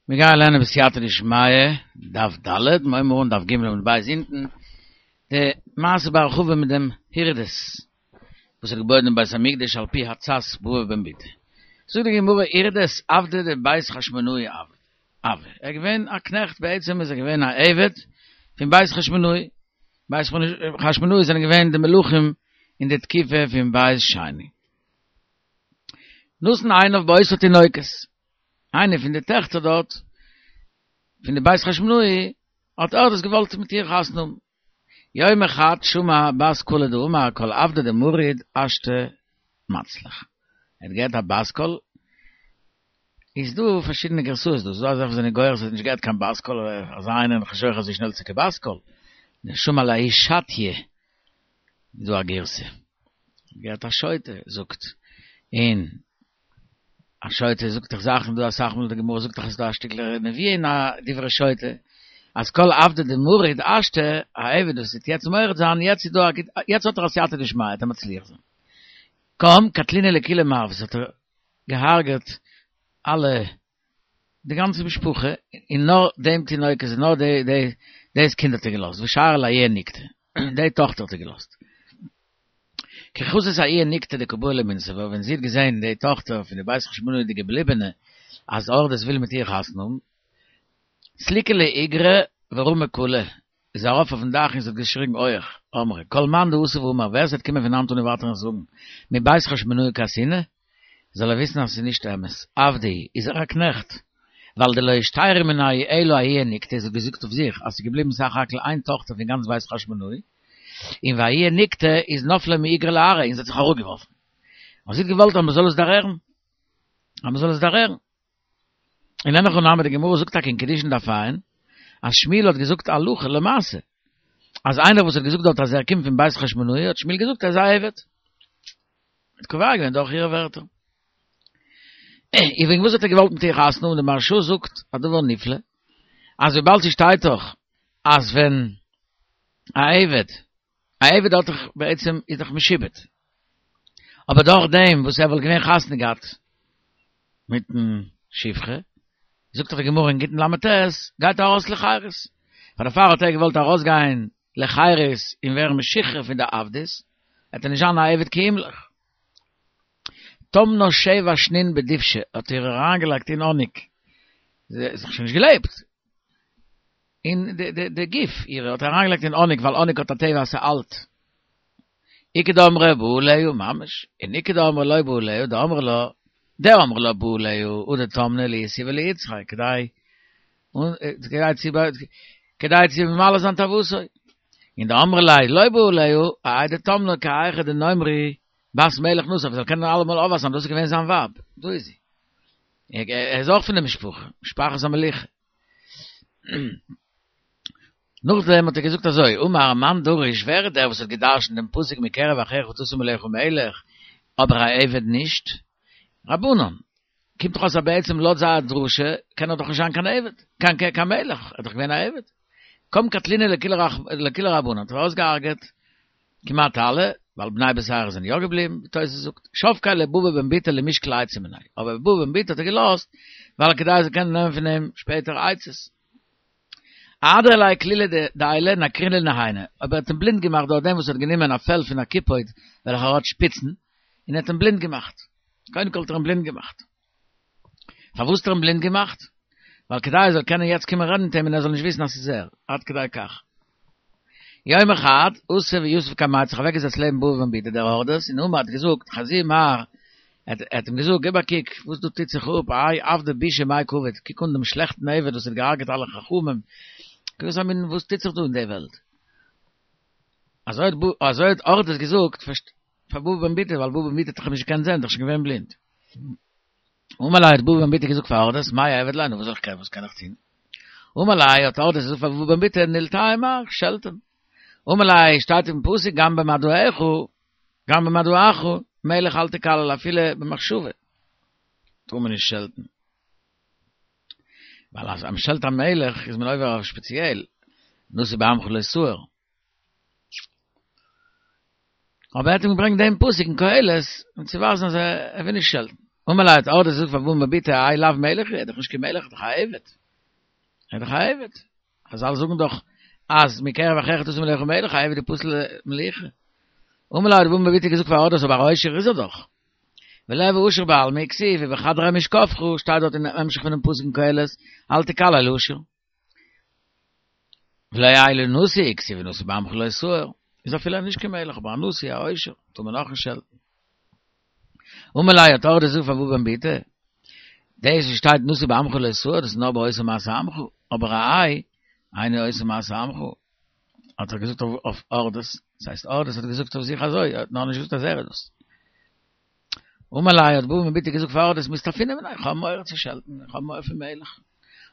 מיר גייען לערנען בסייעתא דשמיא, דף ד', מיר הייבן אן דף ג' עמוד ב' אונטן, די מעשה בהרחבה מיט דעם הורדוס וואס האט געבויעט דעם בית המקדש על פי עצת בבא בן בוטא. זאגט די גמרא הורדוס עבדא דבית חשמונאי הוה, ער איז געווען א קנעכט בעצם איז ער געווען א עבד פון בית חשמונאי, בית חשמונאי זענען געווען די מלכים אין די תקופה פון בית שני. נתן עיניו באותה תינוקת, איינע פון די טעכטער דארט פון די בית חשמונאי האט הורדוס געוואלט מיט איר חתונה האבן. יומא חד שמע בת קלא דאמר כל עבדא דמריד השתא מצליח. ער האט געהערט א בת קול, איז דא פארשידענע גרסאות דא, ס'איז דא אזעלכע וואס זענען גורס אז ער האט נישט געהערט קיין בת קול, אזא איינער איז נישט שייך אזוי שנעל צו קיין בת קול, שמע לההיא שטיא איז דא א גירסא, געהערט א שוטה זאגט, און א שוטה זאגט דאך זאכן דא אסאך מאל די גמרא זאגט דאך אז ס'דא א שטיקל נבואה אין א דברי שוטה, אז כל עבדא דמריד השתא, א עבד וואס וועט יעצט מורד זיין, יעצט איז דא א גוט, יעצט האט ער א סייעתא דשמיא, וועט ער מצליח זיין. קם קטלינהו לכולהו מרוות האט ער געהארגעט אלע די גאנצע משפחה, און נאר דעם תינוקת, נאר די די דאס קינד האט ער געלאזט, ושייר לההיא נקטא, די טאכטער האט ער געלאזט. כי חזית ההיא נקטא דקא בעי למינסבא, ווען זי האט געזען די טאכטער פון די בית חשמונאי די געבליבענע, אז הורדוס וויל מיט איר חתונה האבן, סליקה לאיגרא ורמא קלא, איז ארויף אויפן דאך און זי האט געשריגן הויעך, אמרה, כל מאן דאתי ואמר, ווער ס'וועט קומען פון היינט אן און ווייטער און זאגן, מבית חשמונאי קאתינא, זאל ער וויסן אז ס'איז נישט אמת, עבדא הוא, איז ער א קנעכט, ווייל דלא אישתיירא מינייהו אלא ההיא נקטא, זי האט געזאגט אויף זיך אז ס'איז געבליבן סך הכל איין טאכטער פון גאנץ בית חשמונאי, און וההיא נקטא איז נפלה מאיגרא לארעא און זי האט זיך אראפגעווארפן. און זי האט געוואלט אז מ'זאל עס דערהערן, אז מ'זאל עס דערהערן. און אין הכי נמי די גמרא זאגט טאקע אין קידושין דף ע' אז שמואל האט געזאגט הלכה למעשה אז איינער וואס האט געזאגט דארט אז ער קומט פון בית חשמונאי האט שמואל געזאגט ער איז א עבד. האט קובע געווען דורך אירע ווערטער. און וועגן וואס האט ער געוואלט מיט איר חתונה האבן? די מהרש"א זאגט א דבר נפלא אז וויבאלד ס'שטייט דאך אז ווען א עבד א עבד האט דאך בעצם איז דאך משועבד, אבער דורך דעם וואס ער וואלט געווען חתונה געהאט מיטן שפחה, זאגט דאך די גמרא אין גיטין ל"ט, גייט ער ארויס לחירות, פאר דערפאר האט ער געוואלט ארויסגיין לחירות און ווערן משוחרר פון די עבדות, וועט ער נישט זיין א עבד כי ימלוך. טמנה שבע שנין בדובשא, האט איר אריינגעלייגט אין האניג, זי האט דאך שוין נישט געלעבט, אין די גוף אירע האט ער אריינגעלייגט אין האניג ווייל האניג האט א טבע אז ס'אלט. איכא דאמרי בא עליה ממש, און איכא דאמרי לא בא עליה, דאמרי לה, דאמרי לה בא עליה, הא דטמנה לאיתיבא לאיצריה, כדי כדי צו כדי צו ממלא זיין תאוותו. און דאמרי לה לא בא עליה, אהאי דטמנה כי היכי דנימרו בת מלך נשא, זאל קענען אלעמאל אויפווייזן אז דאס איז געווען זיין ווייב, דא איז זי. ער איז אויך פון די משפחה, משפחת המלוכה. נאכדעם האט ער געזאגט אזוי, אמר מאן דריש, ווער איז דער וואס האט גע'דרש'נט דעם פסוק מקרב אחיך תשים עליך מלך, אבער א עבד נישט? רבנן, קומט דאך אויס אז בעצם לויט זייער דרשה קען ער דאך נישט זיין קיין עבד, קיין קיין מלך, ער איז דאך געווען א עבד. קם קטלינהו לכולהו רבנן, האט ער אויסגעהארגעט כמעט אלע, ווייל בני בתירא זענען יא געבליבן, ווי תוס' זאגט, שבקיה לבבא בן בוטא למשקל עצה מיניה, אבער בבא בן בוטא האט ער געלאזט, ווייל כדי ער זאל קענען נעמען פון אים שפעטער עצות. אהדריה ליה כלילא דעילא נקרינהו לנהייניה, אבער ער האט אים בלינד געמאכט דורך דעם וואס ער האט גענומען א פעל פון א קיפוד וועלכער האט שפיצן, און ער האט אים בלינד געמאכט. קודם כל האט ער אים בלינד געמאכט. פארוואס האט ער אים בלינד געמאכט? ווייל כדי ער זאל קענען יעצט קומען רעדן מיט אים און ער זאל נישט וויסן אז ס'איז ער, עד כדי כך. יומא חד, אתא ויתיב קמיה האט זיך אוועקגעזעצט לעבן בבא בן בוטא דער הורדוס און אמר האט געזאגט חזי מר, ער האט אים געזאגט גיב א קוק וואס דא טוט זיך אפ, האי עבדא בישא מאי קא עביד, קוק אן דעם שלעכטן עבד וואס האט געהארגעט אלע חכמים, קוק וואס א מין וואס טוט זיך דא אין די וועלט. אזוי האט הורדוס געזאגט פאר בבא בן בוטא, ווייל בבא בן בוטא האט דאך אים נישט געקענט זען, דאך שוין געווען בלינד. אמר ליה האט בבא בן בוטא געזאגט פאר הורדוס, מאי אעביד ליה, נו וואס זאל איך קענען, וואס קען איך טון? אמר ליה האט הורדוס געזאגט פאר בבא בן בוטא, נלטיה מר, שעלט אים. אמר ליה, שטייט אין פסוק גם במדעך, גם במדעך, מלך אל תקלל אפילו במחשבה, טאר מען נישט שעלטן. ווייל אז מען שעלט א מלך איז מען עובר אויף שפעציעל, נשיא בעמך לא תאור. אבער ער האט אים געברענגט דעם פסוק אין קהלת, אים צו ווייזן אז ער וויל נישט שעלטן. אמר ליה האט הורדוס געזאגט פאר בבא בן בוטא האי לאו מלך הוא, ער איז דאך נישט קיין מלך, ער איז דאך א עבד. ער איז דאך א עבד. חזל זאגן דאך אז מקרב אחיך תשים עליך מלך, א עבד איז פסול למליכה. אמר ליה האט בבא בן בוטא געזאגט פאר הורדוס אבער א עושר איז ער דאך. וליהוי עשיר בעלמא כתיב ובחדרי משכבך שטייט דארט אין המשך פונעם פסוק אין קהלת אל תקלל עשיר. ולא יהא אלא נשיא כתיב ונשיא בעמך לא תאור איז אפילו נישט קיין מלך אבער א נשיא א עושר טאר מען אויך נישט שעלטן. אמר ליה האט הורדוס געזאגט פאר בבא בן בוטא דאס וואס שטייט נשיא בעמך לא תאור דאס איז נאר ביי עושה מעשה עמך אבער ראה אינו עושה מעשה עמך האט ער געזאגט אויף הורדוס דאס הייסט הורדוס האט געזאגט אויף זיך אזוי ער האט נאר נישט געזאגט אז ער איז דאס. אמר ליה האט בבא בן בוטא געזאגט פאר הורדוס מיסתפינא מיניה איך האב מורא צו שעלטן איך האב מורא פון מלך.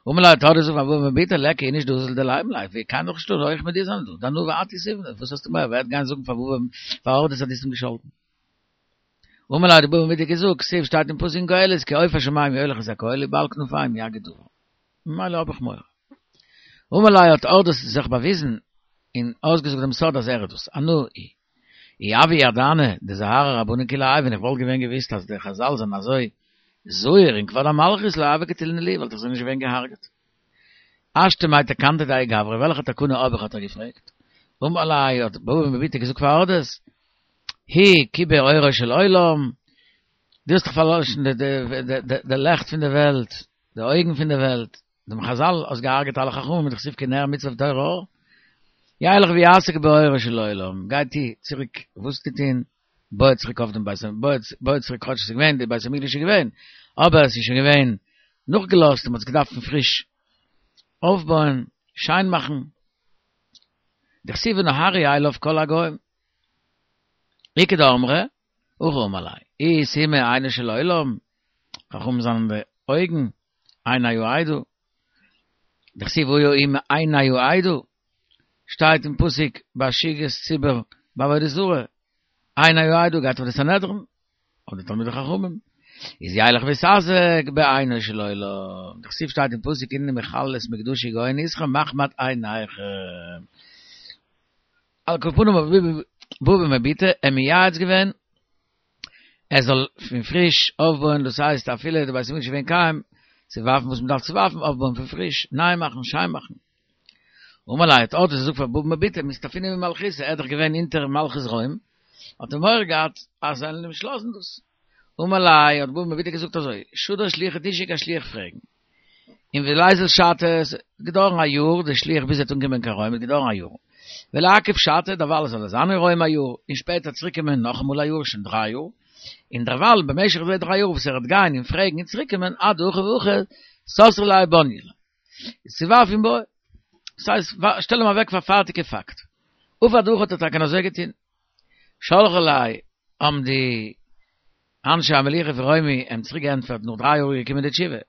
אמר ליה האט הורדוס געזאגט פאר בבא בן בוטא ליכא איניש דאזיל דלימא ליה ווי קיינער דאך נישטא נאר איך מיט דיר זענען דא דאנא ואת אותיבנא וואס האסטו מורא ווער וועט גיין זאגן פאר בבא פאר הורדוס אז דו האסט אים געשאלטן. אמר ליה האט בבא בן בוטא געזאגט כתיב שטייט אין פסוק אין קהלת כי עוף השמים יוליך את הקול ובעל כנפיים יגיד דבר ממילא האב איך מורא. אמר ליה האט הורדוס זיך באוויזן און אויסגעזאגט דעם סוד אז ער איז דאס אנא הוא. אי הוה ידענא דזהרי רבנן כולי האי ווען איך וואלט געווען געוויסט אז די חזל זענען אזוי זהיר אין כבוד המלכות לא הוה קטילנא לי וואלט איך זיי נישט געווען געהארגעט. השתא מאי תקנתא דהאי גברא וועלכע תקנה האב איך האט ער געפרעגט. אמר ליה האט בבא בן בוטא געזאגט פאר הורדוס הוא כיבה אורו של עולם דו האסט דאך פארלאשן די לעכט פון די וועלט די אויגן פון די וועלט דעם חזל האסט געהארגעט אלע חכמים דכתיב כי נר מצוה ותורה אור ילך ויעסוק באורו של עולם גיי טו צוריק וואס צו טון בוי צוריק אויף דעם בית בוי צוריק כאטש עס איז געווען די בית המקדש איז געווען אבער עס איז שוין געווען נאכגעלאזט און מען האט עס געדארפט פון פריש אויפבויען שיין מאכן דכתיב ונהרו אליו כל הגוים איכא דאמרי הכי אמר ליה אי איתימא עינו של עולם חכמים זענען די אויגן עיני העדה, דכתיב והיה אם עיני העדה, שטייט אין פסוק ביי שהיית ציבור בעבודה זרה, עיני העדה גייט אויף די סנהדרין, אויף די תלמידי חכמים, איז ילך ויתעסק בעינו של עולם, דכתיב שטייט אין פסוק הנני מחלל את מקדשי גועין אתכם מחמד עיניכם. על כל פנים האט בבא בן בוטא אים מייעץ געווען ער זאל פון פריש אויפבויען, דאס הייסט אפילו די בית המקדש איז געווען קיים, צו ווארפן וואס מען דארף צו ווארפן, אויפבויען פון פריש, ניי מאכן, שיין מאכן. אמר ליה האט הורדוס געזאגט פאר בבא בן בוטא, מיסתפינא ממלכותא, ער איז דאך געווען אונטער מלכות רוים, האט ער מורא געהאט אז זיי וועלן אים נישט לאזן דאס. אמר ליה האט בבא בן בוטא געזאגט אזוי, שדר שליחא דו שיק א שליח פרעגן. און וליזיל שתא, עס האט געדויערן א יאר, די שליח ביז ער וועט אנקומען קיין רוים וועט געדויערן א יאר. ולעכב שתא, דערווייל זאל ער זיין אין רוים א יאר, און שפעטער צוריק קומען נאכאמאל א יאר, שוין דריי יאר. און דערווייל במשך די דריי יאר וואס ער וועט גיין און פרעגן און צוריק קומען, עד דהכי והכי, סתרו ליה ובניי ליה. איז צוווארף און בוי. דאס הייסט, שטעל אים אוועק פאר פארטיגע פאקט. עבד הכי האט ער טאקע אזוי געטון. שלחו ליה האבן די אנשי המלוכה פון רומי אים צוריק געענטפערט נאך דריי יאר איז געקומען די תשובה,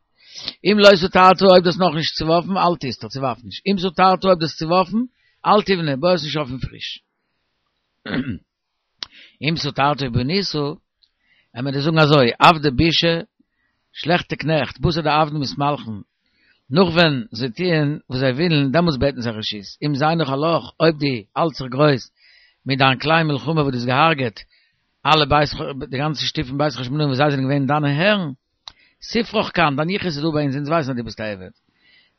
אם לא סתרת אויב דו האסט נאכנישט צוווארפן אל תסתור צוווארף נישט, אם סתרת אויב דו האסט צוווארפן אל תבנה בוי עס נישט אויף פון פריש. אם סתרת ובנית, עמער דיר זאגן אזוי, עבדי בישא, שלעכטע קנעכט, בתר דעבדין מתמלכין, נאך ווען זיי טוען וואס זיי ווילן, דעמאלטס בעטן זיי רשות. אם זיינוך עלך, אויב דו האלטסט זיך גרויס מיט דיין קליין מלחמה וואס דו האסט געהארגעט אלע בית די גאנצע שטוב פון בית חשמונאים וואס זיי זענען געווען דיינע הערן, ספרך כאן, דיין יחוס איז דא ביי אונז, אונז ווייסן אז דו ביסט א עבד.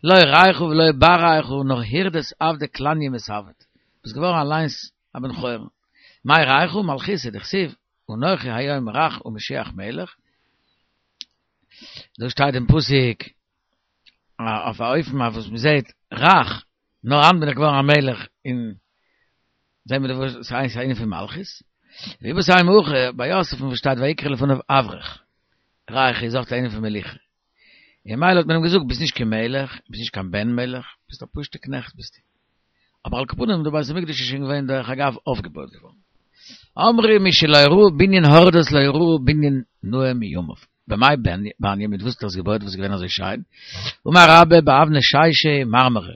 לא רייכא ולא בר רייכא, נאר הירדות עבדי כלניא מתעבד. ביסט געווארן אליינס א בן חורין. מאי רייכא? מלכותא דכתיב, אנכי היום רך ומשיח מלך. דא שטייט אין פסוק אויף א אופן אויף וואס מ'זעט רך, נאר היינט בין איך געווארן א מלך און זעהן מיר דא וואס ס'איז א ענין פון מלכות. ואיבעית אימא הכי ביי יוסף'ן וואס שטייט ויקרא לפניו אברך, רייכא איז אויך א ענין פון מלוכה. און ממילא האט מען אים געזאגט ביסט נישט קיין מלך, ביסט נישט קיין בן מלך, ביסט א פשוט'ע קנעכט ביסטו. אבער על כל פנים די בית המקדש איז שוין געווען דרך אגב אויפגעבויט געווארן. אמרו מי שלא ראה בנין הורדוס לא ראה בנין נאה מימיו. במאי בניה מיט וואס האט ער עס געבויט וואס איז געווען אזוי שיין? אמר רבה באבני שישא ומרמרא,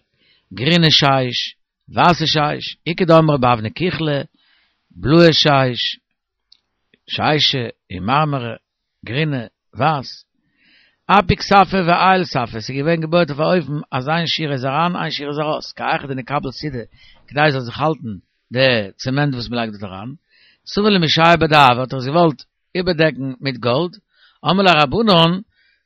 גרינע שיש, ווייסע שיש, איכא דאמרי באבני כוחלא, בלויע שיש, שישא ומרמרא, גרינע, ווייס. אפיק ספא ועייל ספא, ס'איז געווען געבויעט אויף א אופן אז איין שורה איז אריין איין שורה איז ארויס, כי היכי דניקבל סידא, כדי עס זאל זיך האלטן די צעמענט וואס מ'לייגט דארט אריין. סבר למשייר בדהבא האט ער עס געוואלט איבערדעקן מיט גאלד, אמרו ליה רבנן,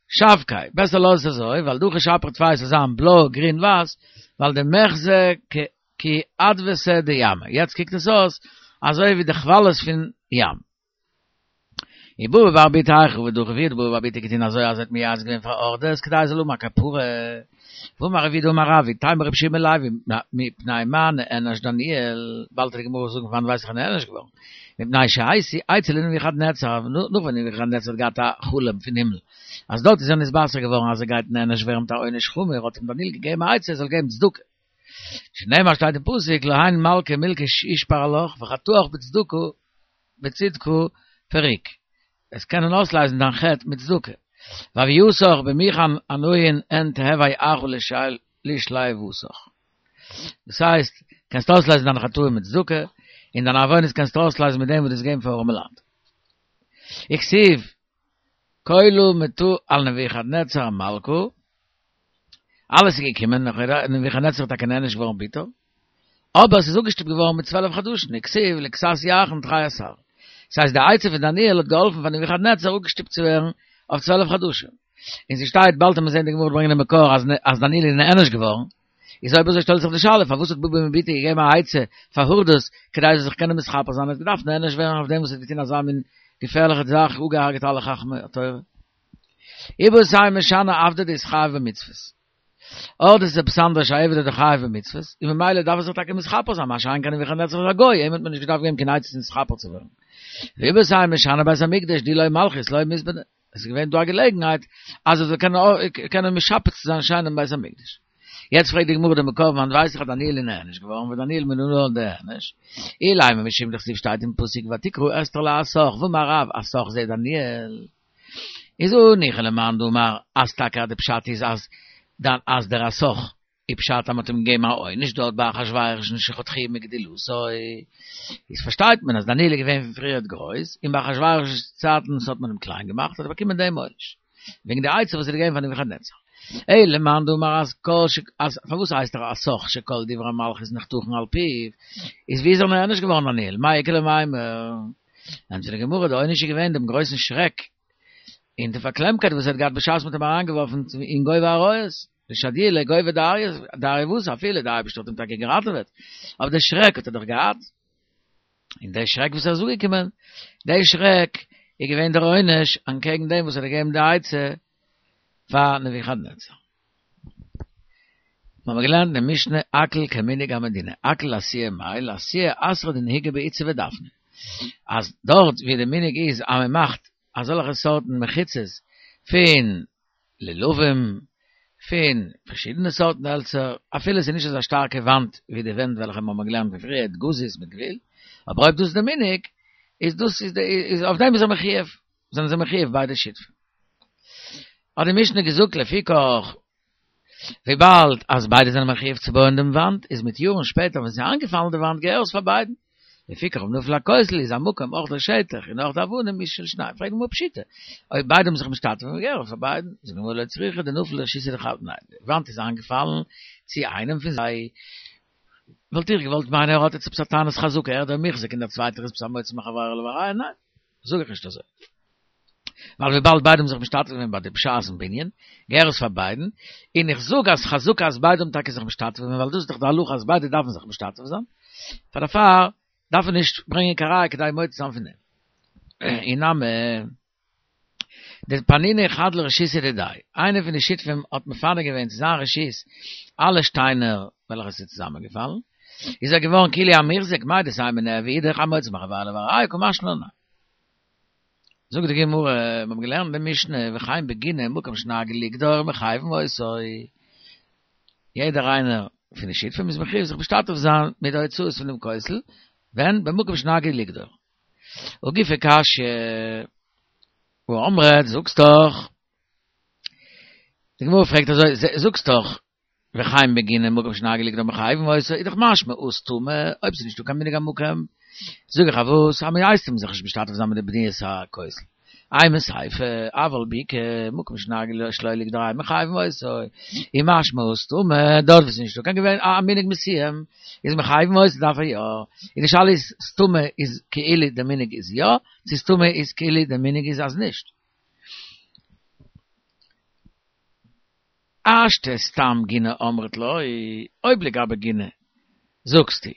שבקיה, בעסער לאז עס אזוי, ווייל דהכי שפיר טפי ס'זאל זיין בלוי גרין ווייס, ווייל דמיחזי כי אדוותא דימא, יעצט קוקט עס אויס אזוי ווי די כוואליעס פון ים. ובבא בר בוטא האי כי עבד דחוף ווי האט בבא בר בוטא געטון אזוי אז ער האט מייעץ געווען פאר הורדוס כדי ער זאל האבן א כפרה. ואמר רב יהודה אמר רב איתימא רבי יהושע בן לוי מפני מה נענש דניאל, באלד וועט די גמרא זאגן פון וואנעט ווייס איך אז נענש געווארן, מפני שהשיא עצה לנבוכדנצר, נאך ווען נבוכדנצר האט געהאט א חלום פון הימל אז דארט איז ער נתבשר געווארן אז ער גייט נענש ווערן מיט א עונש חמור האט אים דניאל געגעבן א עצה ער זאל געבן צדקה. שנאמר שטייט אין פסוק להון מלכא מילכא ישפר עלך וחטאך בצדקה בצדקה פריק, וועסט קענען אויסלייזן דיין חטא מיט צדקה, והויתך במוכן ענוין הן תהוי אחא לשליותך, דאס הייסט, קענסט אויסלייזן דיינע חטאים מיט צדקה, און דיינע עוונות קענסטו אויסלייזן מיט דעם וואס דו וועסט געבן פאר ארעמעלייט. וכתיב כלא מטא על נבוכדנצר מלכא, אלעס איז געקומען, נבוכדנצר איז טאקע נענש געווארן ביטער, אבער עס איז אפגעשטופט געווארן מיט צוועלף חדשים, וכתיב לכסת ירחין תרי עשר. דאס הייסט די עצה פון דניאל האט געהאלפן פאר נבוכדנצר אפגעשטופט צו ווערן אויף צוועלף חדשים. און ס'שטייט, באלד וועט מען זען די גמרא וועט ברענגען די מקור אז אז דניאל איז נענש געווארן, איז אויב אזוי שטעלט זיך די שאלה פארוואס האט בבא בן בוטא געגעבן א עצה פאר הורדוס כדי ער זאל זיך קענען מתכפר זיין, ער האט געדארפט נענש ווערן אויף דעם וואס ער האט געטון אזא מין געפערליכע זאך, אפגעהארגעט אלע חכמי התורה. איבעית אימא שאני עבדא דאתחייב במצוות. הורדוס איז עפעס אנדערש א עבד איז דאך חייב במצוות, און ממילא דארף ער זיך טאקע מתכפר זיין, מה שאין כן נבוכדנצר איז א גוי, אים האט מען נישט געדארפט געבן קיין עצות נתכפר צו ווערן. ואיבעית אימא שאני בית המקדש דאי לא מלכות לא מתבני, עס איז געווען דא א געלעגנהייט אז ער זאל קענען משפץ זיין שיין דעם בית המקדש. יעצט פרעגט די גמרא די מקור וואנעט ווייס איך אז דניאל איז נענש געווארן ודניאל מנא לן דאיענש, אילימא משום דכתיב שטייט אין פסוק ותקרא אסתר לאתך ואמר רב אתך זה דניאל. איז הניחא למאן דאמר אז טאקע אז די פשט איז אז דאן אז דער אתך איז פשט אז מ'האט אים געגעבן א עונש דארט ביי אחשורוש שחתכוהו מגדולתו איז פארשטייט מען אז דניאל איז געווען פון פריערט גרויס און ביי אחשורוש'ס צייטן האט מען אים קליין געמאכט האט ער באקומען דעם עונש וועגן די עצה וואס ער האט געגעבן פאר נבוכדנצר. אלא למאן דאמר אז כל ש אז פארוואס הייסט ער אתך שכל דברי מלכות נחתכין על פיו איז ווי איז ער נענש געווארן דניאל מאי איכא למימר ענטפערט די גמרא, די עונש איז געווען דעם גרויסן שרעק און די פארקלעמקייט וואס ער האט געהאט בשעת מ'האט אים אריינגעווארפן אין גוב האריות, דשדיוה לגובא דאריותא, אפילו דער אייבערשטער האט אים טאקע געראטעוועט, אבער די שרעק האט ער דאך געהאט, און די שרעק וואס ער איז אפגעקומען, די שרעק איז געווען דער עונש אנטקעגן דעם וואס ער האט געגעבן די עצה פאר נבוכדנצר. מיר האבן געלערנט אין די משנה הכל כמנהג המדינה, הכל לאתויי מאי, לאתויי אתרא דנהיגי באיצי ודפני, אז דארט ווי די מנהג איז אז מען מאכט אזעלכע סארטן מחיצות פון לולבים, פון פארשידענע סארטן העלצער, אפילו עס איז נישט אזא שטארקע וואנט ווי די ווענט וועלכע מיר האבן געלערנט פון פריער, גזית מיט גוויל, אבער אויב דאס איז די מנהג, איז דאס איז אויף דעם איז ער מחויב. זענען זיי מחויב ביידע שותפים. האט די משנה געזאגט לפיכך, וויבאלד אז ביידע זענען מחויב צו בויען דעם וואנט, איז מיט יארן שפעטער ווען ס'איז איינגעפאלן די וואנט געהער עס פאר ביידן. לפיכך אויב נפל הכותל איז המקום אויך דער שטח און אויך די אבנים איז של שניהם. פרעגט די גמרא פשיטא, אויב ביידע האבן זיך משתתף געווען געהער עס פאר ביידן, זאגט די גמרא לא צריכא דנפל לרשותא דחד ניין, די וואנט איז איינגעפאלן צו איינעם פון זיי, וואלט איך געוואלט מיינען ער האט יעצט עפעס א טענת חזקה ער דער מוחזק און דער צווייטער איז עפעס א מוציא מחבירו עליו הראיה, ניין. זאג איך נישט אזוי. ווייל וויבאלד ביידע האבן זיך משתתף געווען ביי די בשעת'ן בנין, געהער עס פאר ביידן, און איך זאג אז חזקה אז ביידע האבן טאקע זיך משתתף געווען, ווייל דאס איז דאך די הלכה אז ביידע דארפן זיך משתתף זיין, פאר דערפאר דארף מען נישט ברענגען קיין ראיה כדי מוציא זיין פון דעם. אי נמי, דפנינהו חד לרשותא דידיה, איינער פון די שותפים האט מפנה געווען צו זיין רשות אלע שטיינער וועלכע עס איז צוזאמענגעפאלן, איז ער געווארן כאילו א מוחזק, מהו דתימא ניהוו אידך המוציא מחבירו עליו הראיה קא משמע לן ניין. זאגט די גמרא, מיר האבן געלערנט די משנה, וכן בגינה מקום שנהגו לגדור מחייבין אותו, יעדער איינער פון די שותפים איז מחויב זיך משתתף זיין מיט די הוצאות פון דעם כותל, ווען? במקום שנהגו לגדור. הא גופא קשיא, והא אמרת, זאגסט דאך, די גמרא פרעגט אזוי, זאגסט דאך, וכן בגינה מקום שנהגו לגדור מחייבין אותו, איז דאך משמע הא סתמא, אויב ס'איז נישטא קיין מנהג המקום, זאג איך אז וואס, אז מ'הייסט אים זיך נישט משתתף זיין מיט די בניית הכותל. אימא סיפא, אבל בקעה, מקום שנהגו שלא לגדור אין מחייבין אותו, איז משמע הא סתמא, דארט וואו ס'איז נישטא קיין געווען א מנהג מסוים, איז מחייבין אותו דארף ער יא, און די שאלה איז סתמא איז כאילו די מנהג איז יא, צו סתמא איז כאילו די מנהג איז אז נישט. השתא סתם גינה אמרת לא, אויב לגבי גינה זאגסטו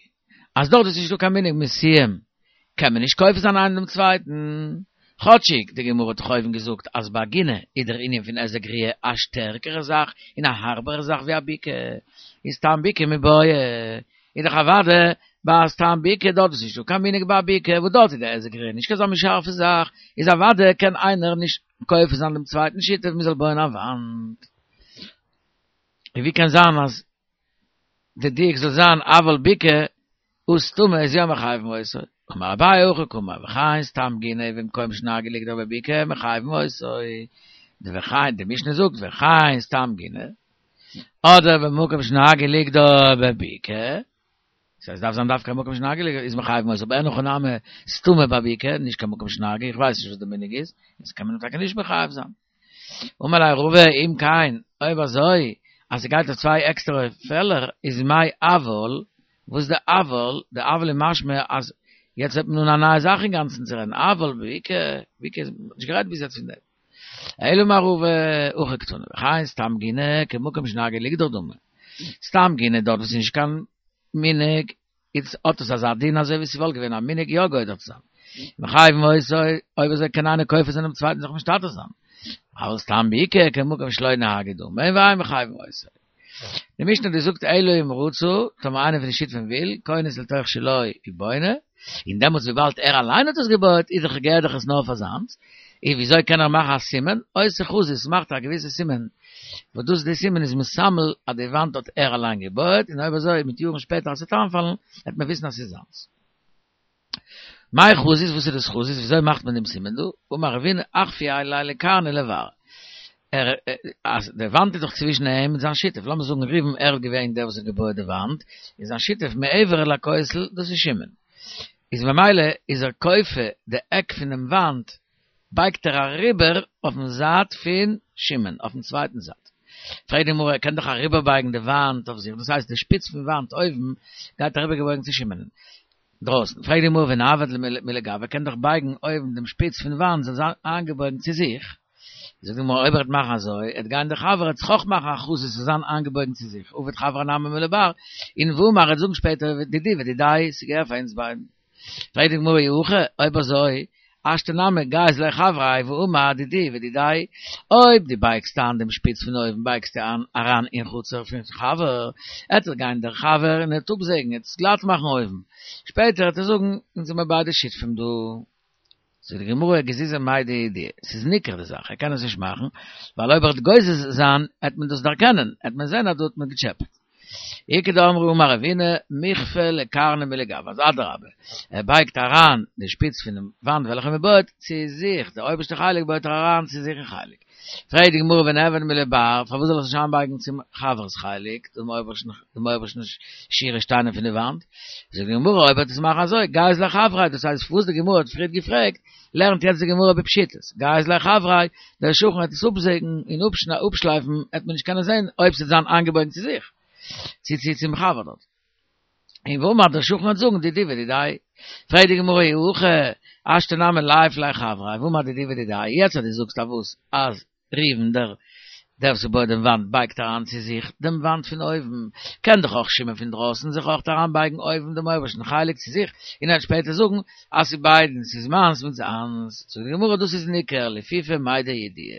אז דארט איז נישטא קיין מנהג משיאים קען מען נישט כופה זיין איינעם דעם צווייטן, כאטשיג די גמרא האט דאך אויבן געזאגט אז ביי גינה איז דער ענין פון היזק ראיה א שטערקערע זאך און א הארבערע זאך ווי א בקעה, איז סתם בקעה מיבעיא איז דאך אוודאי ביי סתם בקעה דארט איז נישטא קיין מנהג ביי א בקעה וואס דארט איז די היזק ראיה נישט קיין אזא מין שארפע זאך, איז אוודאי קען איינער נישט כופה זיין דעם צווייטן שותף מען זאל בויען א וואנט. און ווי קען זיין אז די דיוק זאל זיין אבל בקעה הא סתומה איז יא מחייבין אותו? אמר אביי הכי קאמר וכן סתם גינה במקום שנהגו לגדור בבקעה מחייבין אותו, די וכן די משנה זאגט וכן סתם גינה אדער במקום שנהגו לגדור בבקעה, ס'הייסט דארף זיין דווקא מקום שנהגו לגדור איז מחייבין אותו, אבער אין הכי נמי סתומה בבקעה, נישט קיין מקום שנהגו, איך ווייס נישט וואס די מנהג איז, איז קען מען טאקע נישט מחייב זיין. אמר ליה רבא אם כן, אויב אזוי אז ס'גייט אויף צוויי עקסטערע פעלער איז מאי אבל, וואס איז די אבל? די אבל איז משמע אז יעצט הייבט מען אן א נייע זאך אינגאנצן צו רעדן, אבל בבקעה, בקעה איז נישט גערעדט ביז יעצט פון דעם. אלא אמר רבא הכי קתני, וכן סתם גינה כמקום שנהגו לגדור דמי. סתם גינה דארט וואס איז נישט קיין מנהג, איז האט עס אזא דין אזוי ווי ס'וואלט געווען א מנהג יא גודר צו זיין. מחייבין אותו, אויב אזוי קען איינער כופה זיין דעם צווייטן זיך משתתף זיין. אבל סתם בקעה כמקום שלא נהגו דמי, ואין מחייבין אותו. די משנה האט געזאגט אלא אם רצה, טאמער איינער פון די שותפים וויל, כונס לתוך שלו ובונה, און דעמאלטס וויבאלד ער אליין האט עס געבויעט איז דאך געהערט דאך עס נאר פאר זיינס, און וויאזוי קען ער מאכן א סימן? עושה חזית מאכט א געוויסע סימן, וואס דאס די סימן איז מסמל אז די וואנט האט ער אליין געבויעט, און אויב אזוי מיט יארן שפעטער אז ס'וועט איינפאלן וועט מען וויסן אז ס'איז זיינס. מאי חזית וואס איז דאס חזית וויאזוי מאכט מען דעם סימן דא? אמר רבינא אחפיה ליה לקרנא לבר ער אז די וואנט איז דאך צווישן אים און זיין שותף לאמיר זאגן ראובן ער איז געווען דער וואס האט געבויעט די וואנט און זיין שותף מעבר לכותל דאס איז שמעון איז ממילא איז ער כופה די עק פונעם וואנט בייגט ער אריבער אויפן זייט פון שמעון אויפן צווייטן זייט. פרעגט די גמרא ער קען דאך אריבערבייגן די וואנט אויף זיך דאס הייסט די שפיץ פון וואנט אויבן גייט אריבערגעבויגן צו שמעונ'ן דרויסן. פרעגט די גמרא ונעביד מלגויה ער קען דאך בייגן אויבן דעם שפיץ פון וואנט זאל זיין איינגעבויגן צו זיך. זאגט די גמרא אויב ער וועט מאכן אזוי עט גיין די חבר עט זיך אויך מאכן א חזית ס'זאל זיין איינגעבויגן צו זיך עביד חברא נמי מלבר און ואמר ער וועט זאגן שפעטער דידי ודידיה ס'געהער פאר אונז ביידן. פרעגט די גמרא אי הכי, אויב אזוי, השתא נמי גייז ליה חבריה ואמר דידי ודידיה, אויב דו בייגסט איין דעם שפיץ פון אויבן בייגסטו איין אריין אין חצר פון חבר, עט ער גיין דער חבר און עט אפזעגן עט עס גלאט מאכן אויבן, שפעטער עט ער זאגן אונז זעמער ביידע שותפים דא. זאגט די גמרא גזיזי מידע ידיע, ס'איז ניכר די זאך, ער קען עס נישט מאכן, ווייל אויב ער וועט גוזז זיין עט מען דאס דערקענען, עט מען זען אז דא האט מען געטשעפעט. איכא דאמרי אמר רבינא מיכפי לקרנא מלגויה אז אדרבה ער בייגט אריין די שפיץ פונעם וואנט וועלכע מען בויעט צו זיך די אויבערשטע חלק בויעט ער אריין צו זיך אין חלק פרעגט די גמרא ונעביד מלבר פארוואס זאל ער זיך נישט איינבייגן צום חבר'ס חלק דעם אויבערשטן דעם אויבערשטן שורה שטיינער פון די וואנט זאגט די גמרא אויב ער וועט עס מאכן אזוי גייז ליה חבריה דאס הייסט וואס די גמרא האט פריערט געפרעגט לערנט יעצט די גמרא בפשיטות, גייז ליה חבריה, דער שכן וועט עס אפזעגן און אפשלייפן, וועט מען נישט קענען זען אויב ס'וועט זיין איינגעבויגן צו זיך, צו צו צום חבר דארט. און ואמר דער שכן וועט זאגן דידי ודידיה. פרעגט די גמרא אי הכי, השתא נמי ליעף ליה חבריה, ואמר דידי ודידיה, יעצט אז דו זאגסט אז וואס אז ראובן דער דער וואס בויעט דעם וואנט בייגט אריין צו זיך דעם וואנט פון אויבן, קען דאך אויך שמעון פון דרויסן זיך אויך אריינבייגן אויבן דעם אויבערשטן חלק צו זיך, און ער וועט שפעטער זאגן אז ס'איז ביידן, ס'איז מיינס מיט זיינס. זאגט די גמרא דאס איז ניכר לפיפי מידע ידיע.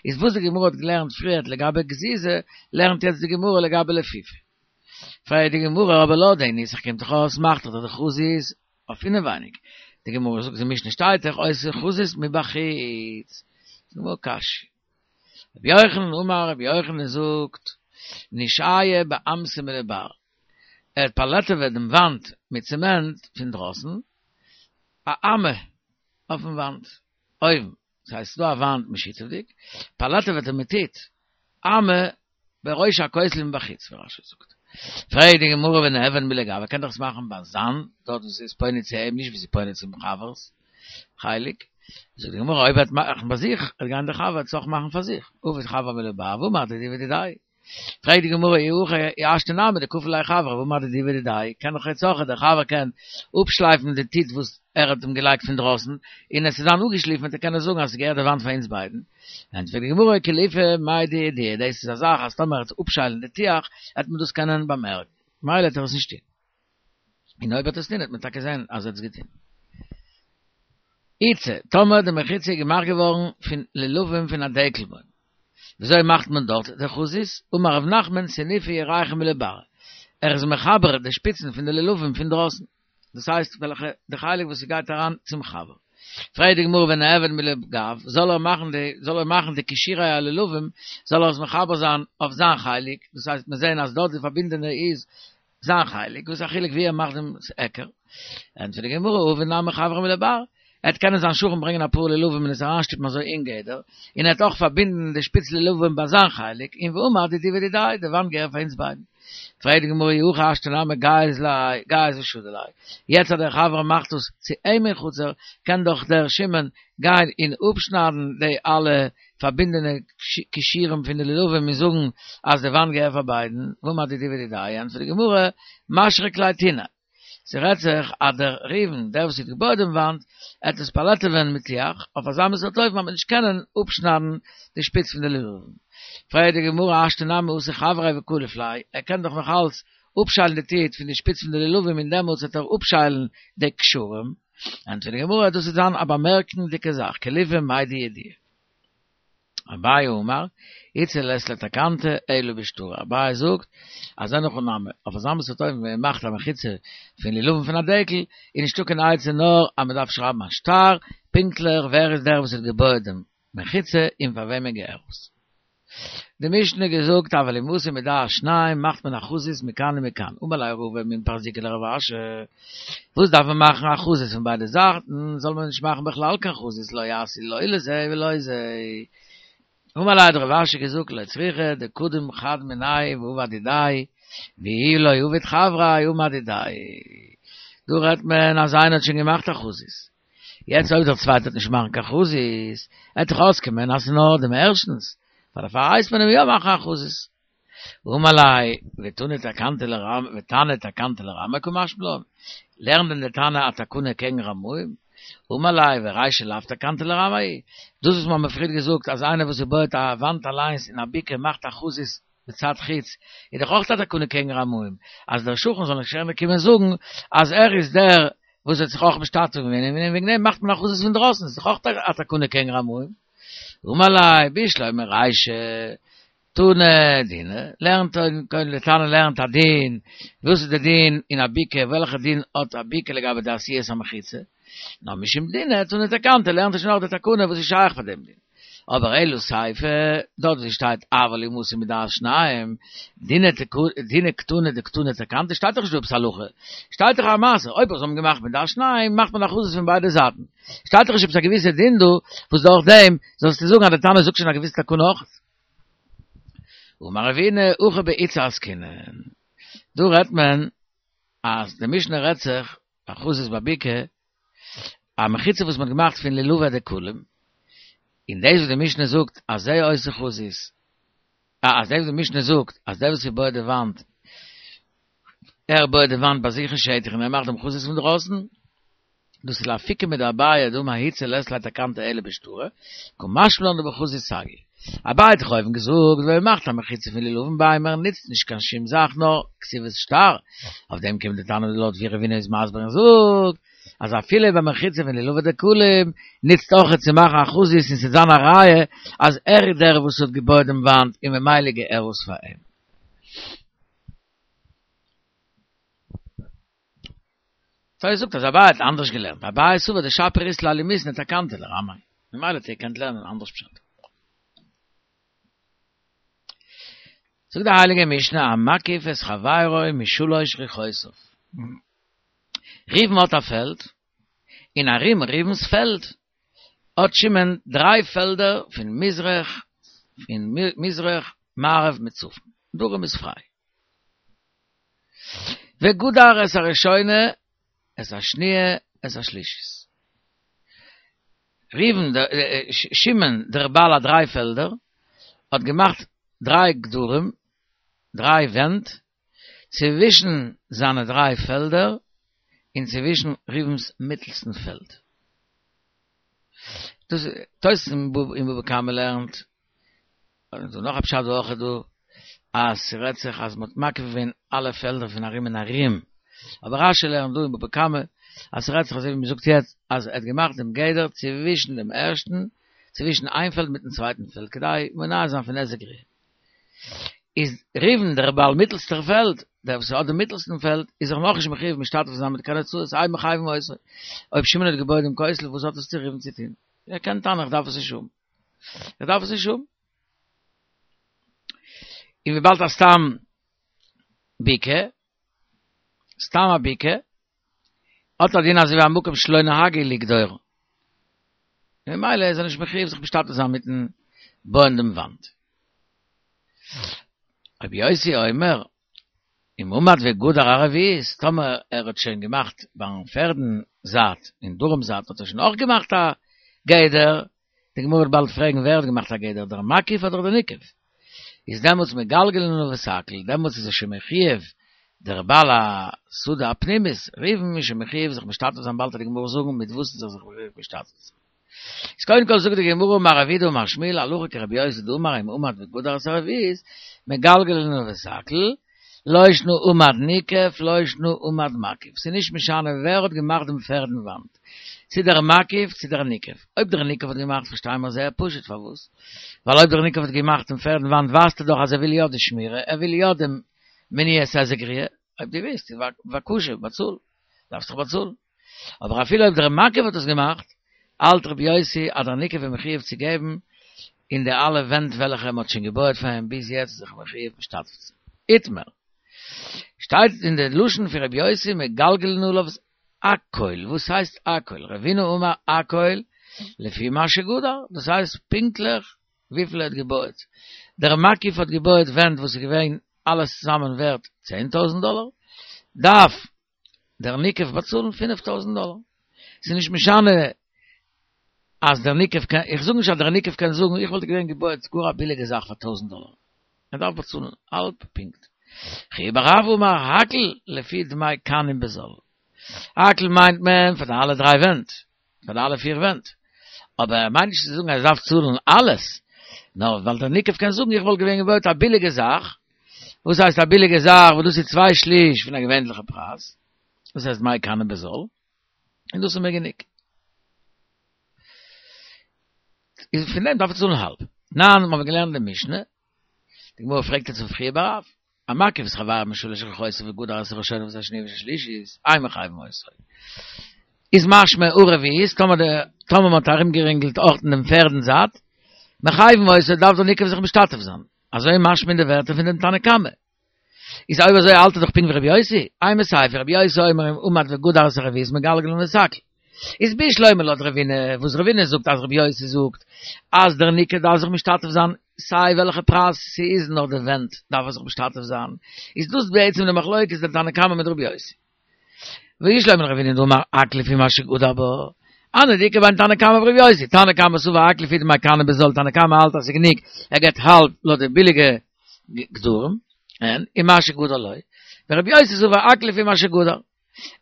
איז וואס די גמרא האט געלערנט פריערט לגבי גזיזה, לערנט יעצט די גמרא לגבי לפיפי. פרעגט די גמרא אבער לויט די נוסח קומט דאך אויס מאכט דאך די חזית אויף אינעווייניג, די גמרא זאגט די משנה שטייט דאך עושה חזית מבחוץ, זאגט די גמרא קשיא, רבי יוחנן אמר רבי יוחנן זאגט נשהיה באמתא מלבר, ער האט פאלעטעוועט דעם וואנט מיט צעמענט פון דרויסן, א אמה אויפן וואנט אויבן, דאס הייסט ס'איז דא א וואנט משותפ'דיג, פאלעטעוועט ער מיט טיט, אמה בראש הכותל מבחוץ ווי רש"י זאגט. פרעגט די גמרא ונעביד מלגויה, ער קען דאך עס מאכן ביי זיין, דארט וואו ס'איז פונה צו אים, נישט וואו ס'איז פונה צום חבר'ס חלק. זאגט די גמרא אויב ער וועט מאכן ביי זיך, וועט גיין דער חבר עס אויך מאכן פאר זיך, עביד חבריה מלבר ואמר דידי ודידיה. פרעגט די גמרא אי הכי השתא נמי דכפי ליה חבריה ואמר דידי ודידיה, קען דאך יעצט אויך דער חבר קען אפשלייפן די טיט וואס ער האט אים געלייגט פון דרויסן, און עס איז זיין אפגעשליפן וועט ער קענען זאגן אז עס געהערט די וואנט פאר אונז ביידן. ענטפערט די גמרא קליפה מידע ידיע, דאס איז א זאך אז טאמער ער וועט אפשיילן די טיח וועט מען דאס קענען באמערקן, ממילא וועט ער עס נישט טון. און אויב ער וועט עס טון וועט מען טאקע זען אז ער האט עס געטון. עצה, טאמער די מחיצה איז געמאכט געווארן פון לולבים פון א דקל בוים, וויאזוי מאכט מען דארט די חזית? אמר רב נחמן סניפי ירכא מלברא, ער איז מחבר די שפיצן פון די לולבים פון דרויסן, דאס הייסט וועלכע די חלק וואס ס'גייט אריין צום חבר. פרעגט די גמרא ונעביד מלגו, זאל ער מאכן די זאל ער מאכן די קישורי הלולבים, זאל ער עס מחבר זיין אויף זיין חלק, דאס הייסט מיר זעען אז דארט די פארבינדענע איז זיין חלק, וואס איז א חילוק ווי ער מאכט דעם היכר? ענטפערט די גמרא, עביד נמי חבריה מלבר, ער וועט קענען זיין שכן ברענגען אפאר לולבים און עס אריינשטופן אזוי אין גדר, און ער וועט אויך פארבינדן די שפיץ לולבים ביי זיין חלק, און ואמר דידי ודידיה, די וואנט געהערט פאר אונז ביידן. פרעגט די גמרא אי הכי השתא נמי גייז ליה, גייז ושדי ליה, יעצט אז דער חבר מאכט עס צו אים אין חצר, קען דאך דער שמעון גיין און אפשניידן די אלע פארבינדענע קישורים פון די לולבים און זאגן אז די וואנט געהערט פאר ביידן, ואמר דידי ודידיה, ענטפערט די גמרא, משריק ליה טינא, ס'רעדט זיך אז דער ראובן, דער וואס האט געבויעט דעם וואנט, עט עס פאלעטעווען מיט טיח, אויף אזא מין סארט אופן אז מ'וועט נישט קענען אפשניידן די שפיץ פון די לולבים. פרעגט די גמרא השתא נמי אתי חבריה וקליף ליה, ער קען דאך נאך אלץ אפשיילן די טיט פון די שפיץ פון די לולבים און דעמאלטס וועט ער אפשיילן די קשרים. ענטפערט די גמרא, דאס וועט זיין א באמערקנדיגע זאך, קליפה מידע ידיע. אביי אמר, עצה לית לה תקנתא אלא בשטרא, אביי זאגט אז אין הכי נמי, אויף אזא מין סארט אופן ווען מען מאכט א מחיצה פון לולבים פון א דקל, איז נישטא קיין עצה נאר אז מען דארף שרייבן א שטר, פונקטליך ווער איז דער וואס האט געבויעט דעם מחיצה און פאר וועמען געהערט עס. די משנה געזאגט אבל אם עשוי מדעת שניים מאכט מען א חזית מכאן ומכאן, אמר ליה רבא מן פרזיקא לרב אשי, וואס דארף מען מאכן א חזית פון ביידע זייטן, זאל מען נישט מאכן בכלל קיין חזית לא יעשה לא לזה ולא לזה. אמר ליה האט רב אשי געזאגט לא צריכא דקדים חד מינייהו ועבד דידיה, ואי לא עביד חבריה אמר דידיה. דא רעדט מען אז איינער האט שוין געמאכט א חזית, יעצט אויב דער צווייטער וועט נישט מאכן קיין חזית, עט דאך אויסקומען אז ס'איז נאר דעם ערשטנס, פאר דערפאר הייסט מען אים יא מאכן א חזית. אמר ליה, ותנא תקנתא לרמ ותנא תקנתא לרמאי קא משמע לן, לערנט דען דער תנא א תקנה קעגן רמאים? אמר ליה, ורישא לאו תקנתא לרמאי, דאס וואס מ'האמיר פריער געזאגט אז איינער וואס בויעט א וואנט אליינס אין א בקעה מאכט א חזית מצד חוץ, איז דאך אויך א תקנה קעגן רמאים, אז דער שכן זאל נישט קענען קומען זאגן אז ער איז דער וואס האט זיך אויך משתתף געווען און וועגן דעם מאכט מען א חזית פון דרויסן, איז דאך אויך א תקנה קעגן רמאים. אמר ליה, בשלמא רישא תנא דינא, לערנט קודם די תנא לערנט א דין, וואס איז די דין אין א בקעה, וועלכע דין האט א בקעה לגבי די עשיית המחיצה, נאר משום דינא תנא תקנתא, לערנט ער שוין אויך די תקנה וואס איז שייך פאר דעם דין. אבער אלא סיפא, דארט ווי שטייט אבל אם עשוי מדעת שניים, דינא קתני דקתני תקנתא, שטייט דאך נישט דא עפעס הלכה, שטייט דאך א מעשה, אויב זיי האבן געמאכט מדעת שניים, מאכט מען א חזית פון ביידע זייטן. שטייט דאך נישט עפעס א געוויסע דין דא, וואס דורך דעם זאלסטו זאגן אז די תנא זאגט שוין א געוויסע תקנה אויך. אמר רבינא, הכא בעיצה עסקינן. דא רעדט מען אז די משנה רעדט זיך א חזית בבקעה, א מחיצה וואס מען האט געמאכט פון לולבי דקלים, און דאס וואס די משנה זאגט אז זה עושה חזית, אז דאס וואס די משנה זאגט אז דער וואס בויעט די וואנט, ער בויעט די וואנט ביי זיך אין שטח און ער מאכט דעם חזית פון דרויסן, דאס איז לאפוקי מדאביי דאמר עצה לית לה תקנתא אלא בשטרא, קא משמע לן דבחזית סגי. אביי האט דאך אויבן געזאגט ווען מ'מאכט א מחיצה פון לולבים ביימער נוצט נישט קיין שום זאך נאר כתיבת שטר, אויף דעם קומט די תנא לויט ווי רבינא איז מסביר און זאגט אז אפילו ביי מחיצה פון לולבי דקלים נוצט אויכעט צו מאכן א חזית און ס'וועט זיין א ראיה אז ער איז דער וואס האט געבויעט דעם וואנט און ממילא געהערט עס פאר אים. תוס' זאגט אז אביי האט אנדערש געלערנט, אביי סבר דשפיר אית ליה למיתני תקנתא לרמאי, ממילא האט ער געקענט לערנען אנדערש פשט. זאגט די הייליגע משנה המקיף את חברו משלש רוחותיו. ראובן האט א פעלד, און ארום ראובן'ס פעלד האט שמעון דריי פעלדער פון מזרח, פון מזרח, מערב מיט צפון, דרום איז פריי. וגדר את הראשונה, את השניה, את השלישית. ראובן, שמעון דער בעל הדריי פעלדער, האט געמאכט דריי גדרים. דריי ווענט צווישן זיינע דריי פעלדער און צווישן ראובן'ס מיטלסטן פעלד. דאס תוס' אין בבא קמא לערנט, און ס'דא נאך א פשט אויך דא, אז ס'רעדט זיך אז מ'האט מקיף געווען אלע פעלדער פון ארום און ארום, אבער רשי לערנט דא אין בבא קמא אז ס'רעדט זיך אזוי ווי מ'זאגט יעצט אז ער האט געמאכט דעם גדר צווישן דעם ערשטן, צווישן איין פעלד מיטן צווייטן פעלד כדי מונע זיין פון היזק ראיה. איז ראובן דער בעל מיטלסטער פעלד, דער וואס האט דעם מיטלסטן פעלד, איז זיך נאכנישט מחויב משתתף זיין מיט קיין הוצאות, אין מחייבין אותו. אויב שמעון האט געבויעט דעם כותל, וואס האט עס צו ראובן צו טון? ער קען טענה'ן איך דארף עס נישט האבן. איך דארף עס נישט האבן. און וויבאלד אז סתם בקעה, סתם א בקעה, האט א דין אזוי ווי א מקום שלא נהגו לגדור. ממילא איז ער נישט מחויב זיך משתתף זיין מיטן בויען דעם וואנט. רבי יוסי אומר, אם עמד וגדר הרביעית, טאמער ער האט שוין געמאכט ביים פערדן זייט, אין דרום זייט האט ער שוין אויך געמאכט א גדר, די גמרא וועט באלד פרעגן ווער האט געמאכט א גדר, דער מקיף אדער דער ניקף? איז דעמאלטס מגלגלין עליו את הכל, דעמאלטס איז ער שוין מחויב, דער בעל השדה הפנימית, ראובן איז שוין מחויב זיך משתתף זיין, באלד וועט די גמרא זאגן מיט וואס איז ער זיך מחויב משתתף זיין. איז קודם כל זאגט די גמרא אמר רב יהודה אמר שמואל הלכה כרבי יוסי דאמר אם עמד וגדר את הרביעית מגלגלין עליו את הכל, לא שנא עמד ניקף לא שנא עמד מקיף, ס'איז נישט משנה ווער האט געמאכט דעם פערדן וואנט, צו דער מקיף צו דער ניקף, אויב דער ניקף האט געמאכט פארשטייען מיר זייער פשוט פארוואס, ווייל אויב דער ניקף האט געמאכט דעם פערדן וואנט ווייזט ער דאך אז ער וויל יא די שמירה, ער וויל יא דעם מניעת היזק ראיה, אויב דו ווילסט בבקשה באצאל, דארפסט דאך באצאלן. אבער אפילו אויב דער מקיף האט עס געמאכט, האלט רבי יוסי אז דער ניקף איז מחויב צו געבן אין די אלע ווענט וועלכע מען האט שוין געבויעט פאר אים ביז יעצט איז זיך מחויב משתתף צו זיין. איתמר. שטייט אין די לשון פון רבי יוסי מגלגלין עליו הכל, וואס הייסט הכל? רבינא אמר הכל לפי מה שגדר, דאס הייסט פונקטליך וויפיל ער האט געבויעט. דער מקיף האט געבויעט ווענט וואס איז געווען אלעס צוזאמען ווערט צען טויזנט דאלער, דארף דער ניקף באצאלן פינף טויזנט דאלער. ס'איז נישט משנה אז דער ניקף קען, איך זאג נישט אז דער ניקף קען זאגן איך וואלט געווען געבויעט גאר א ביליגע זאך פאר טויזנט דאלער. ער דארף באצאלן האלב פונקט. חייא בר רב אמר הכל לפי דמי קנים בזול. הכל מיינט מען פאר די אלע דריי ווענט, פאר די אלע פיר ווענט. אבער ער מיינט נישט צו זאגן אז ער דארף צאלן אלעס, נאר ווייל דער ניקף קען זאגן איך וואלט געווען געבויעט א ביליגע זאך, וואס הייסט א ביליגע זאך וואס דאס איז צוויי שליש פון א געווענליכע פרייז, דאס הייסט דמי קנים בזול, און דאס איז מיר גענוג. איז פון דעם דארף ער צאלן האלב. תנן, מיר האבן געלערנט די משנה, די גמרא פרעגט יעצט אויף חייא בר רב, המקיף את חברו משלש רוחותיו וגדר את הראשונה ואת השניה ואת השלישית, אין מחייבין אותו. איז משמע הרביעית, טאמער די, טאמער מען האט ארומגערינגלט אויך אין דעם פערדן זייט, מחייבין אותו דארף דער ניקף זיך משתתף זיין. אזוי משמע אין די ווערטער פון דעם תנא קמא. איז אויב אזוי האלט ער דאך פונקט ווי רבי יוסי, אימא סיפא רבי יוסי אומר אם עמד וגדר את הרביעית מגלגלין עליו את הכל. איז בשלמא לויט רבינא, וואס רבינא זאגט אז רבי יוסי זאגט אז דער ניקף דארף זיך משתתף זיין סיי וועלכע פרייז ס'איז נאר די ווענט דארף ער זיך משתתף זיין, איז דאס בעצם די מחלוקת דער תנא קמא מיט רבי יוסי. ובשלמא לרבינא דאמר הכל לפי מה שגדר בה, הני דאיכא בין תנא קמא ורבי יוסי, תנא קמא סבר הכל לפי דמי קנים בזול, תנא קמא האלט אז ס'איז גענוג ער געבט האלב לויט די ביליגע גדרים, אין ומה שגדר לא, ורבי יוסי סבר הכל לפי מה שגדר.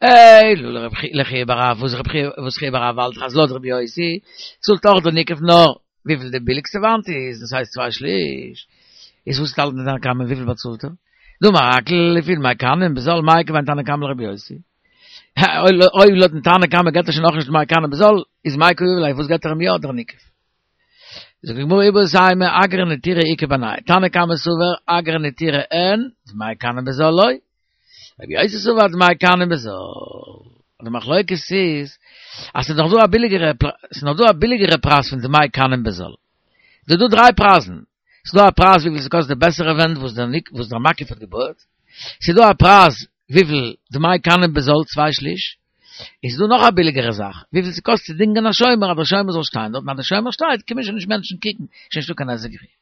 אלא לחייא בר רב, וואס רב חייא, וואס חייא בר רב האלט אז לויט רבי יוסי, צאלט אויך דער ניקף נאר וויפיל די ביליגסטע וואנט איז, דאס הייסט צוויי שליש, איז וואס האלט דער תנא קמא וויפיל באצאלט ער? דאמר הכל לפי דמי קנים בזול מאי איכא בין תנא קמא לרבי יוסי? אויב לויטן תנא קמא געבט ער שוין אויך נישט דמי קנים בזול, איז מאי קא יהיב ליה וואס געבט ער אים יא דער ניקף? זאגט די גמרא איבעית אימא אגרא נטירא איכא בינייהו תנא קמא סבר אגרא נטירא אין דמי קנים בזול לא רבי יוסי סבר דמי קנים בזול די מחלוקת איז אז ס'איז נאך דא א ביליגערע ס'איז נאך דא א ביליגערע פרייז פון דמי קנים בזול ס'איז דא דריי פרייזן ס'איז דא א פרייז וויפיל ס'קאסט די בעסערע ווענט וואס דער ניק וואס דער מקיף האט געבויעט ס'איז דא א פרייז וויפיל דמי קנים בזול צוויי שליש איז דא נאך א ביליגערע זאך, וויפיל ס'קאסט צו דינגען א שומר אז דער שומר זאל שטיין דארט, און אז דער שומר שטייט קומען שוין נישט מענטשן קוקן, שוין נישטא קיין היזק ראיה.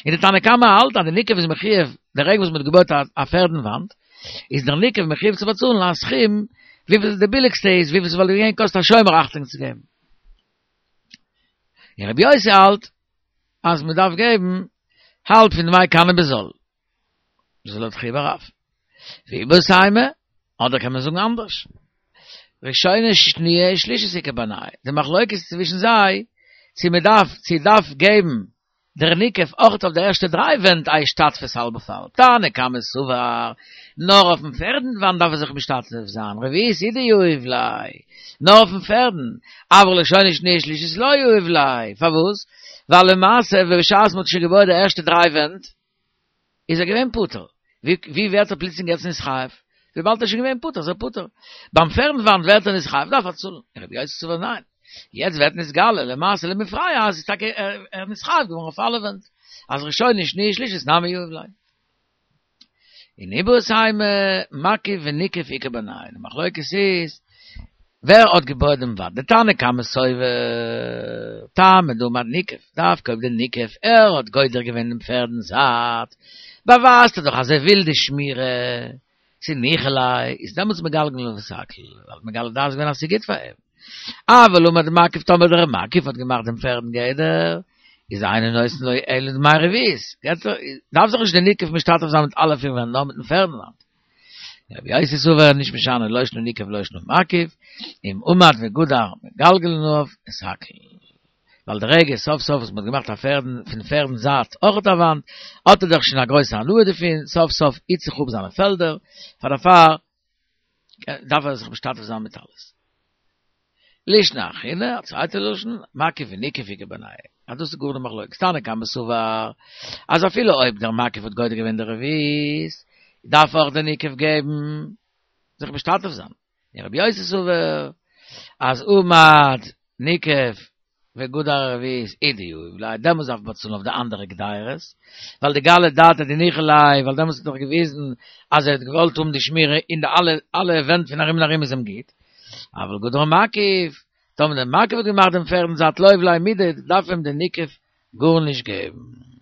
און די תנא קמא האלט אז די ניקף איז מחויב, די רגע וואס מ'האט געבויט א פערדן וואנט, איז דער ניקף מחויב צו באצאלן א סכום וויפיל די ביליגסטע איז, וויפיל ס'וואלט געווען קאסט א שומר אכטונג צו געבן. און רבי יוסי האלט אז מ'דארף געבן האלב פון דמי קנים בזול. דאס איז לויט חייא בר רב. ואיבעית אימא, אדער קען מען זאגן אנדערש. ראשונה שניה שלישית איכא בינייהו. די מחלוקת צווישן זיי, צו מען דארף, צו דארף געבן דער ניקף אויך אויף די ערשטע דריי ווענט א השתתפות האלב אויף האלב. תנא קמא סבר, נאר אויפן פערדן וואנט דארף ער זיך משתתף זיין, רביעית הוא דיהיב ליה, נאר אויפן פערדן, אבל ראשונה שניה שלישית לא יהיב ליה, פארוואס? ווייל למעשה בשעת מען האט שוין געבויעט די ערשטע דריי ווענט, איז ער געווען פטור. ווי ווערט ער פלוצלינג יעצט נתחייב? וויבאלד ער איז שוין געווען פטור איז ער פטור. ביים פערדן וואנט ווערט ער נתחייב דארף ער צאלן. רבי יוסי סבר ניין. יעצט ווערט נתגלה למעשה למפרע אז איז טאקע ער נתחייב געווארן אויף אלע ווענט. אז ראשונה שניה שלישית נמי יהיב ליה. און איבעית אימא מקיף וניקף איכא בינייהו. די מחלוקת איז ווער האט געבויעט דעם וואנט? די תנא קמא סובר טעמא דעמד ניקף, דווקא אויב די ניקף ער האט גודר געווען דעם פערדן זייט, באווייזט ער דאך אז ער וויל די שמירה, ס'איז ניחא ליה, איז דעמאלטס מגלגלין עליו את הכל, ווייל מגלה דעת געווען אז ס'איז גוט פאר אים. אבל עמד מקיף טאמער דער מקיף האט געמאכט דעם פערדן גדר, איז אינו נותן לו אלא דמי רביעית, דארף זיך נישט דער ניקף משתתף זיין מיט אלע פיר ווענט נאר מיטן פערדן וואנט. רבי יוסי סבר נישט משנה לא שנא ניקף ולא שנא מקיף, אם עמד וגדר מגלגלין עליו את הכל. ווייל די רגע סוף סוף וואס מ'האט געמאכט א פערדן פון פערדן זייט אויכעט א וואנט, האט ער דאך שוין א גרויסע הנאה דערפון, סוף סוף היט זיך אפ זיינע פעלדער, פאר דערפאר דארף ער זיך משתתף זיין מיט אלעס. לישנא אחרינא, א צווייטע לשון, מקיף וניקף איכא בינייהו. אז דאס איז גאר די מחלוקת. תנא קמא סבר, אז אפילו אויב דער מקיף האט גודר געווען די רביעית, דארף אויך דער ניקף געבן, זיך משתתף זיין. און רבי יוסי סבר, אז עמד ניקף וגדר רביעית הוא דיהיב ליה, דעמאלטס דארף מען באצאלן אויף די אנדערע גדירות, ווייל דגלי דעתיה דניחא ליה, ווייל דעמאלטס האט ער דאך געוויזן אז ער האט געוואלט האבן די שמירה אין די אלע אלע ווענט פון ארום און ארום איז אים גוט, אבל גדר מקיף, טאמער דער מקיף האט געמאכט דעם פערדן זייט לא יהיב ליה מידי, דארף אים דער ניקף גארנישט געבן.